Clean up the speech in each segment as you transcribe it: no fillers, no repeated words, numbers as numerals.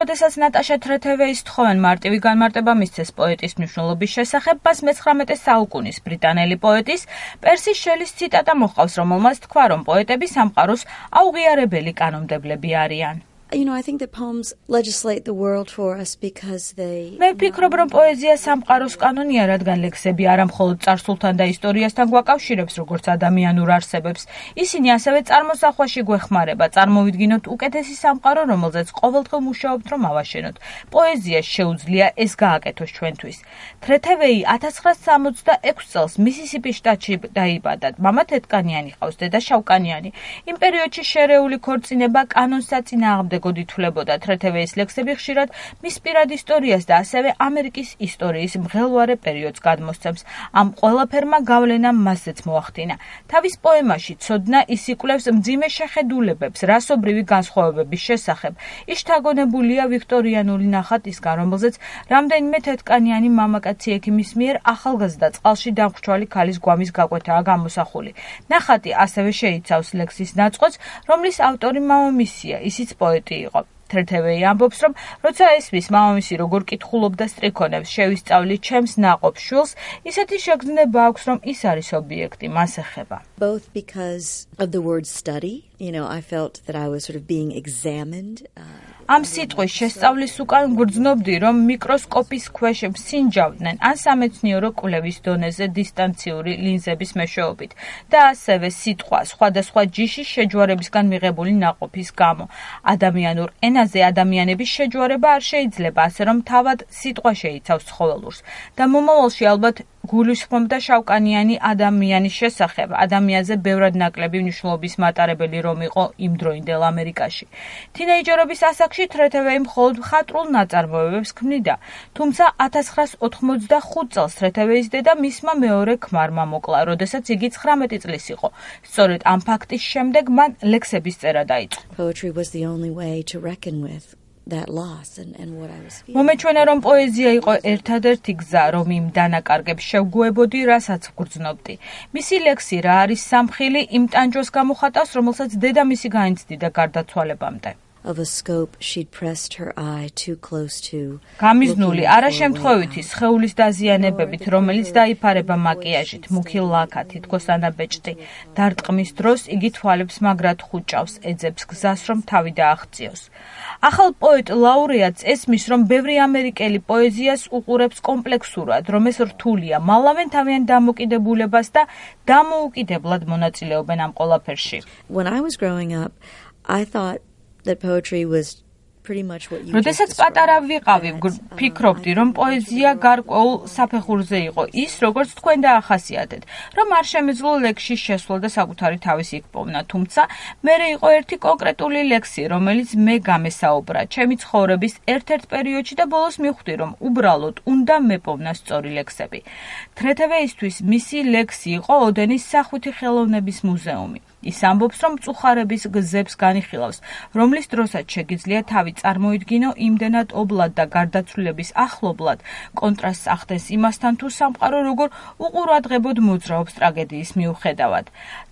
როდესაც ნატაშა თრეთევეის თხოვენ მარტივი განმარტება მისცეს პოეტის მნიშვნელობის შესახებ, მას მე-19 საუკუნის ბრიტანელი პოეტის პერსი შელის ციტატა მოჰყავს, რომელმაც თქვა, რომ პოეტები სამყაროს აუღიარებელი კანონმდებლები არიან. I think that poems legislate the world for us because they მე ვფიქრობ, რომ პოეზია სამყაროს კანონია, რადგან ლექსები არა მხოლოდ წარსულთან და ისტორიასთან გვაკავშირებს, როგორც ადამიანურ არსებებს. ისინი ასევე წარმოსახვაში გვეხმარება, წარმოვიდგინოთ უკეთესი სამყარო, რომელზეც ყოველდღე მუშაობთ, რომ ავაშენოთ. პოეზიას შეუძლია ეს გააკეთოს ჩვენთვის. თრეთევეი 1966 წელს მისისიპის შტატში დაიბადა. მამა თეთკანიანი ჰყავს, დედა შავკანიანი. იმ პერიოდში შერეული ქორწინება კანონს საწინააღმდეგოდ ითვლებოდა. თრეთევეის ლექსები ხშირად მის პირად ისტორიას და ასევე ამერიკის ისტორიის მღელვარე პერიოდს გადმოსცემს. ამ ყველაფერმა გავლენა მასზეც მოახდინა. თავის პოემაში ცოდნა ის იკვლევს მძიმე შეხედულებებს რასობრივი განსხვავებების შესახებ. ის შთაგონებულია ვიქტორიანული ნახატისგან, რომელზეც რამდენიმე თეთკანიანი მამაკაცი ექიმის მიერ ახალგაზრდა წყალში დამხრჩვალი ქალის გვამის გაკვეთაა გამოსახული. ნახატი ასევე შეიცავს ლექსის ნაწყვეტს, რომლის ავტორი მამამისია, ისიც პოეტი იყო. თრეთევეი ამბობს, რომ როცა ესმის მამამისი როგორ კითხულობდა სტრიქონებს, შევისწავლი ჩემს ნაყოფ შვილს, ისეთი შეგრძნება აქვს, რომ ის არის ობიექტი, მას ეხება. Both because of the word study, I felt that I was sort of being examined. ამ სიტყვის შესწავლის უკან გვრძნობდი, რომ მიკროსკოპის ქვეშ მსინჯავდნენ ან სამეცნიერო კვლევის დონეზე დისტანციური ლინზების მეშვეობით და ასევე სიტყვა სხვადასხვა ჯიშის შეჯვარებისგან მიღებული ნაყოფის გამო. ადამიანურ ენაზე ადამიანების შეჯვარება არ შეიძლება, ასე რომ თავად სიტყვა შეიცავს ცხოველურს და მომავალში ალბათ გულისხმობდა შავკანიანი ადამიანის შესახებ, ადამიანზე ბევრად ნაკლები მნიშვნელობის მატარებელი რომ იყო იმდროინდელ ამერიკაში. თინეიჯერობის ასაკში თრეთევეი მხოლოდ მხატვრულ ნაწარმოებებს ქმნიდა, თუმცა 1985 წელს თრეთევეის დედა მისმა მეორე ქმარმა მოკლა, როდესაც იგი 19 წლის იყო. სწორედ ამ ფაქტის შემდეგ მან ლექსების წერა დაიწყო. Poetry was the only way to reckon with that loss and what I was feeling. მომეჩვენა, რომ პოეზია იყო ერთადერთი გზა, რომ იმ დანაკარგებს შევგუებოდი, რასაც ვგრძნობდი. მისი ლექსი რა არის სამხილი იმ ტანჯვას გამოხატავს, რომელსაც დედამისი განიცდიდა გარდაცვალებამდე. Of a scope she'd pressed her eye too close to. გამიზნული არაშემთხვევითი სხეულის დაზიანებებით, რომელიც დაიფარება მაკიაჟით, მუქი ლაქა, თითქოს ანაბეჭდი. დარტყმის დროს იგი თვალებს მაგრად ხუჭავს, ეძებს გზას, რომ თავი დააღწიოს. ახალ პოეტ ლაურეატს ესმის, რომ ბევრი ამერიკელი პოეზიას უყურებს კომპლექსურად, რომ ეს რთულია, მალავენ თავიანთ დამოკიდებულებას და დამოუკიდებლად მონაწილეობენ ამ ყველაფერში. When I was growing up, I thought that poetry was pretty much what you როდესაც პატარა ვიყავი, ვფიქრობდი, რომ პოეზია გარკვეულ საფეხურზე იყო, ის როგორც თქვენ დაახასიათეთ, რომ არ შემეძლო ლექსის შესვლა და საკუთარი თავისი იქპოვნა, თუმცა მერე იყო ერთი კონკრეტული ლექსი, რომელიც მე გამესაუბრა ჩემი ცხოვრების ერთ-ერთ პერიოდში და ბოლოს მივხვდი, რომ უბრალოდ უნდა მეპოვნა სწორი ლექსები. თრეთევეისთვის მისი ლექსი იყო ოდენის სახვითი ხელოვნების მუზეუმი. ის ამბობს, რომ მწუხარების გზებს განიხილავს, რომლის დროსაც შეგიძლია თავი წარმოიდგინო იმდენად ობლად და გარდაცვლილების ახლობლად, კონტრასტს ახდენს იმასთან, თუ სამყარო როგორ უყურადღებოდ მოძრაობს ტრაგედიის მიუხედავად.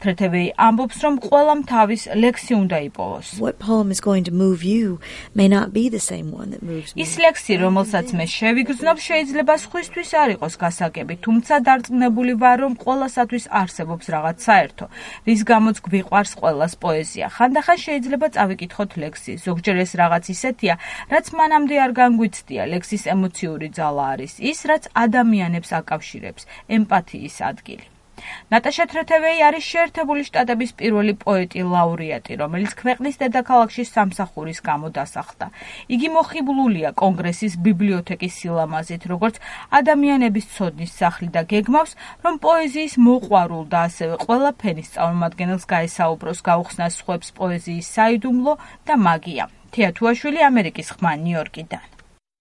თრეთევეი ამბობს, რომ ყველამ თავის ლექსი უნდა იპოვოს. What poem is going to move you may not be the same one that moves me. ის ლექსი, რომელსაც მე შევიგრძნობ, შეიძლება სხვისთვის არ იყოს გასაგები, თუმცა დარწმუნებული ვარ, რომ ყველასათვის არსებობს რაღაც საერთო, რის გამოც გვიყვარს ყველას პოეზია. ხანდახან შეიძლება წავიკითხოთ ლექსი. ზოგჯერ ეს რაღაც ისეთია, რაც მანამდე არ განგვიცდია. ლექსის ემოციური ძალა არის ის, რაც ადამიანებს აკავშირებს, ემპათიის ადგილი. ნატაშა თრეთევეი არის შეერთებული შტატების პირველი პოეტი ლაურეატი, რომელიც ქვეყნის დედაქალაქში სამსახურის გამო დასახლდა. იგი მოხიბლულია კონგრესის ბიბლიოთეკის სილამაზით, როგორც ადამიანების ცოდნის სახლი და გეგმავს, რომ პოეზიის მოყვარულ და ასევე ყველა ფენის წარმომადგენელს გაესაუბროს, გაუხსნას სხვებს პოეზიის საიდუმლო და მაგია. თეა თუაშვილი, ამერიკის ხმა, ნიუ-იორკიდან.